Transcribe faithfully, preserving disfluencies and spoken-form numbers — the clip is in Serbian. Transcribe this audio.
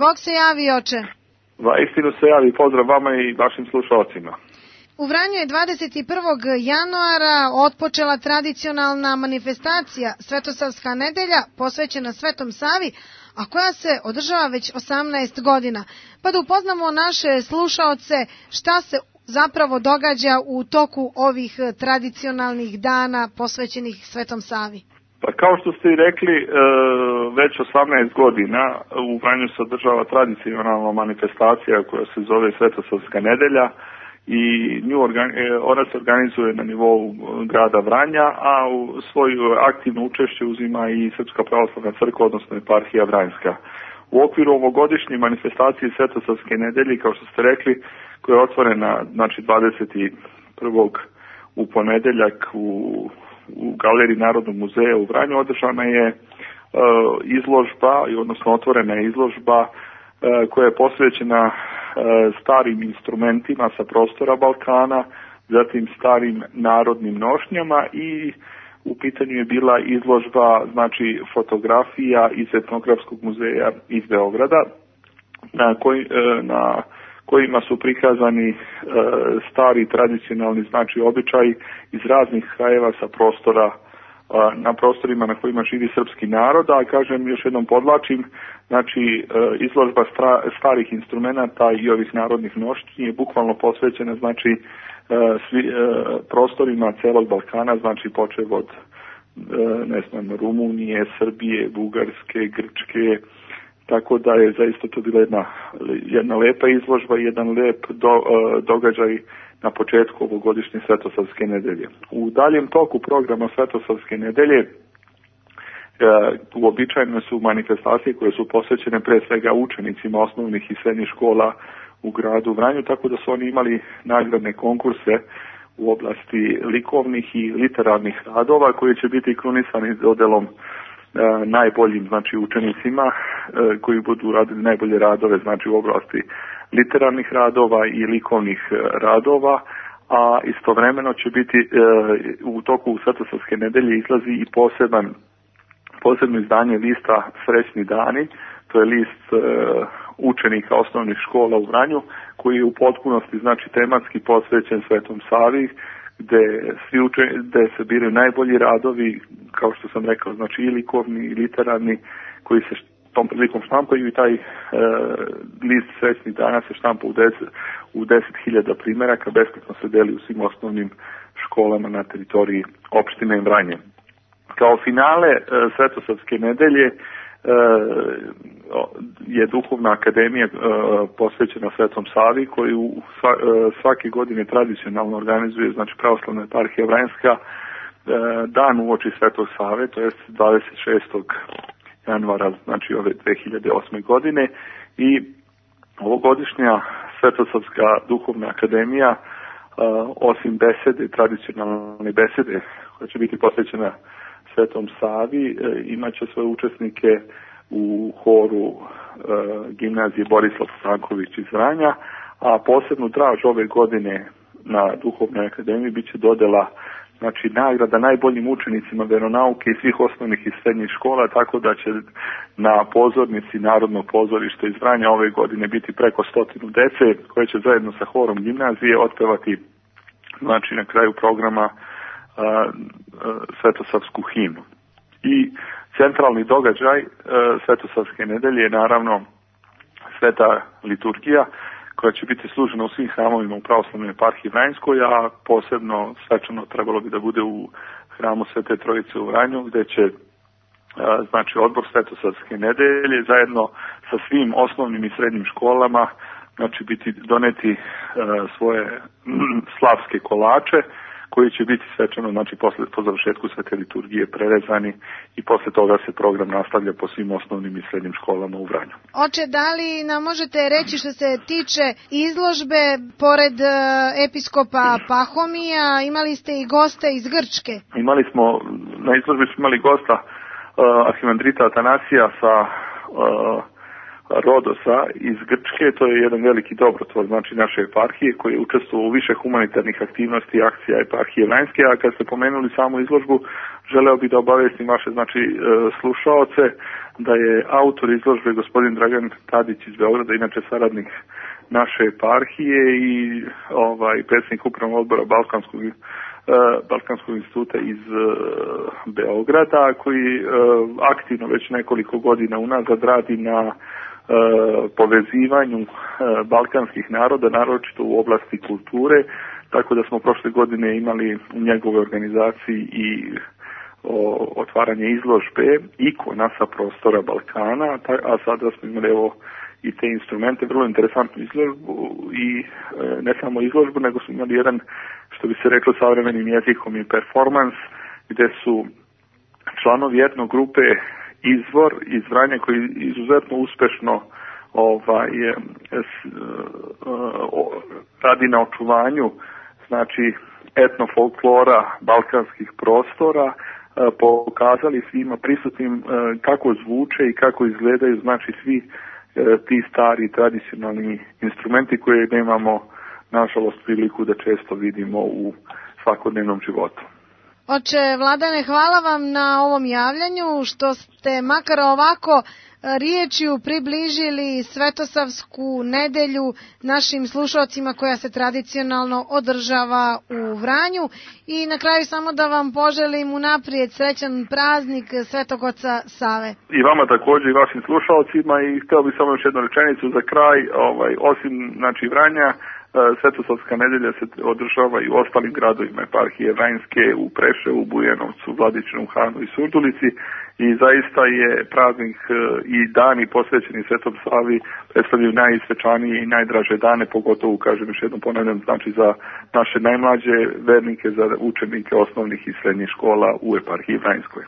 Bog se javi, oče. Va istinu se javi, pozdrav vama i vašim slušalcima. U Vranju je dvadeset prvog januara otpočela tradicionalna manifestacija Svetosavska nedelja posvećena Svetom Savi, a koja se održava već osamnaest godina. Pa da upoznamo naše slušaoce šta se zapravo događa u toku ovih tradicionalnih dana posvećenih Svetom Savi. Pa kao što ste i rekli, već osamnaest godina u Vranju se održava tradicionalna manifestacija koja se zove Svetosavska nedelja i nju ona se organizuje na nivou grada Vranja, a u svoju aktivno učešće uzima i Srpska pravoslavna crkva, odnosno eparhija Vranjska. U okviru ovogodišnje manifestacije Svetosavske nedelje, kao što ste rekli, koja je otvorena znači dvadeset prvog u ponedeljak u u Galeriji Narodnog muzeja u Vranju, održana je e, izložba, odnosno otvorena je izložba e, koja je posvećena e, starim instrumentima sa prostora Balkana, zatim starim narodnim nošnjama i u pitanju je bila izložba znači fotografija iz Etnografskog muzeja iz Beograda na, koj, e, na kojima su prikazani e, stari tradicionalni znači običaji iz raznih krajeva sa prostora e, na prostorima na kojima živi srpski narod, a kažem još jednom podlačim, znači e, izložba stra, starih instrumenata i ovih narodnih nošnji je bukvalno posvećena znači e, svi, e, prostorima celog Balkana, znači počev od e, ne znam, Rumunije, Srbije, Bugarske, Grčke, tako da je zaista to bila jedna, jedna lepa izložba i jedan lep do, događaj na početku ovogodišnje Svetosavske nedelje. U daljem toku programa Svetosavske nedelje uobičajene su manifestacije koje su posvećene pre svega učenicima osnovnih i srednjih škola u gradu Vranju, tako da su oni imali nagradne konkurse u oblasti likovnih i literarnih radova koji će biti krunisani dodelom E, najboljim znači učenicima e, koji budu radili najbolje radove znači u oblasti literarnih radova i likovnih e, radova, a istovremeno će biti e, u toku Svetosavske nedelje izlazi i poseban posebno izdanje lista Srećni dani, to je list e, učenika osnovnih škola u Vranju koji je u potpunosti znači tematski posvećen Svetom Savi, gde svi uče, gde se biraju najbolji radovi, kao što sam rekao, znači i likovni i literarni, koji se tom prilikom štampaju i taj e, list Srećnih dana se štampa u deset, u deset hiljada primjeraka, besplatno se deli u svim osnovnim školama na teritoriji opštine Vranje. Kao finale e, Svetosavske nedelje e, je Duhovna akademija e, posvećena Svetom Savi, koju sva, e, svake godine tradicionalno organizuje znači pravoslavna eparhija Vranjska e, dan uoči Svetog Save, to jest dvadeset šestog januara znači ove dve hiljade osme godine, i ovogodišnja Svetosavska Duhovna akademija e, osim besede, tradicionalne besede koja će biti posvećena Svetom Savi, e, imaće svoje učesnike u horu e, gimnazije Borislav Stanković iz Vranja, a posebnu draž ove godine na Duhovnoj akademiji biće dodela znači nagrada najboljim učenicima veronauke iz svih osnovnih i srednjih škola, tako da će na pozornici Narodnog pozorišta iz Vranja ove godine biti preko stotinu dece koje će zajedno sa horom gimnazije otpevati znači na kraju programa a, a, Svetosavsku himnu. I centralni događaj e, Svetosavske nedelje je naravno sveta liturgija koja će biti služena u svim hramovima u pravoslavnoj eparhiji Vranjskoj, a posebno svečano trebalo bi da bude u hramu Svete Trojice u Vranju, gde će e, znači odbor Svetosavske nedelje zajedno sa svim osnovnim i srednjim školama znači biti doneti e, svoje m, slavske kolače koji će biti svečano, znači posle, po završetku svete liturgije prerezani i posle toga se program nastavlja po svim osnovnim i srednjim školama u Vranju. Oče, da li nam možete reći što se tiče izložbe, pored uh, episkopa Pahomija, imali ste i goste iz Grčke? Imali smo, na izložbi smo imali gosta uh, arhimandrita Atanasija sa uh, Rodosa iz Grčke, to je jedan veliki dobrotvor, znači naše eparhije, koji je učestvovao u više humanitarnih aktivnosti i akcija eparhije Vranjske, a kad ste pomenuli samu izložbu, želeo bih da obavestim vaše znači slušaoce da je autor izložbe gospodin Dragan Tadić iz Beograda, inače saradnik naše eparhije i ovaj predsjednik upravnog odbora Balkanskog Balkanskog instituta iz Beograda, koji aktivno već nekoliko godina unazad radi na povezivanju balkanskih naroda, naročito u oblasti kulture, tako da smo prošle godine imali u njegove organizaciji i o, otvaranje izložbe ikona sa prostora Balkana, a sada smo imali evo i te instrumente, vrlo interesantnu izložbu i e, ne samo izložbu, nego smo imali jedan, što bi se reklo savremenim jezikom, i performans, gde su članovi etno grupe Izvor iz Vranja, koji izuzetno uspešno ovaj, s, o, radi na očuvanju znači etnofolklora balkanskih prostora, pokazali svima prisutnim kako zvuče i kako izgledaju znači svi ti stari tradicionalni instrumenti koje nemamo nažalost priliku da često vidimo u svakodnevnom životu. Oče Vladane, hvala vam na ovom javljanju što ste makar ovako riječju približili Svetosavsku nedelju našim slušalcima koja se tradicionalno održava u Vranju i na kraju samo da vam poželim unaprijed srećan praznik Svetog Oca Save. I vama također i vašim slušalcima i htio bih samo još jednu rečenicu za kraj, ovaj, osim znači Vranja, Svetosavska nedelja se održava i u ostalim gradovima eparhije Vranjske, u Preševu, Bujanovcu, Vladičinom Hanu i Surdulici i zaista je praznik i dani posvećeni Svetom Savi predstavljaju najsvečanije i najdraže dane, pogotovo, kažem još jednom ponavljam, znači za naše najmlađe vernike, za učenike osnovnih i srednjih škola u eparhiji Vranjskoj.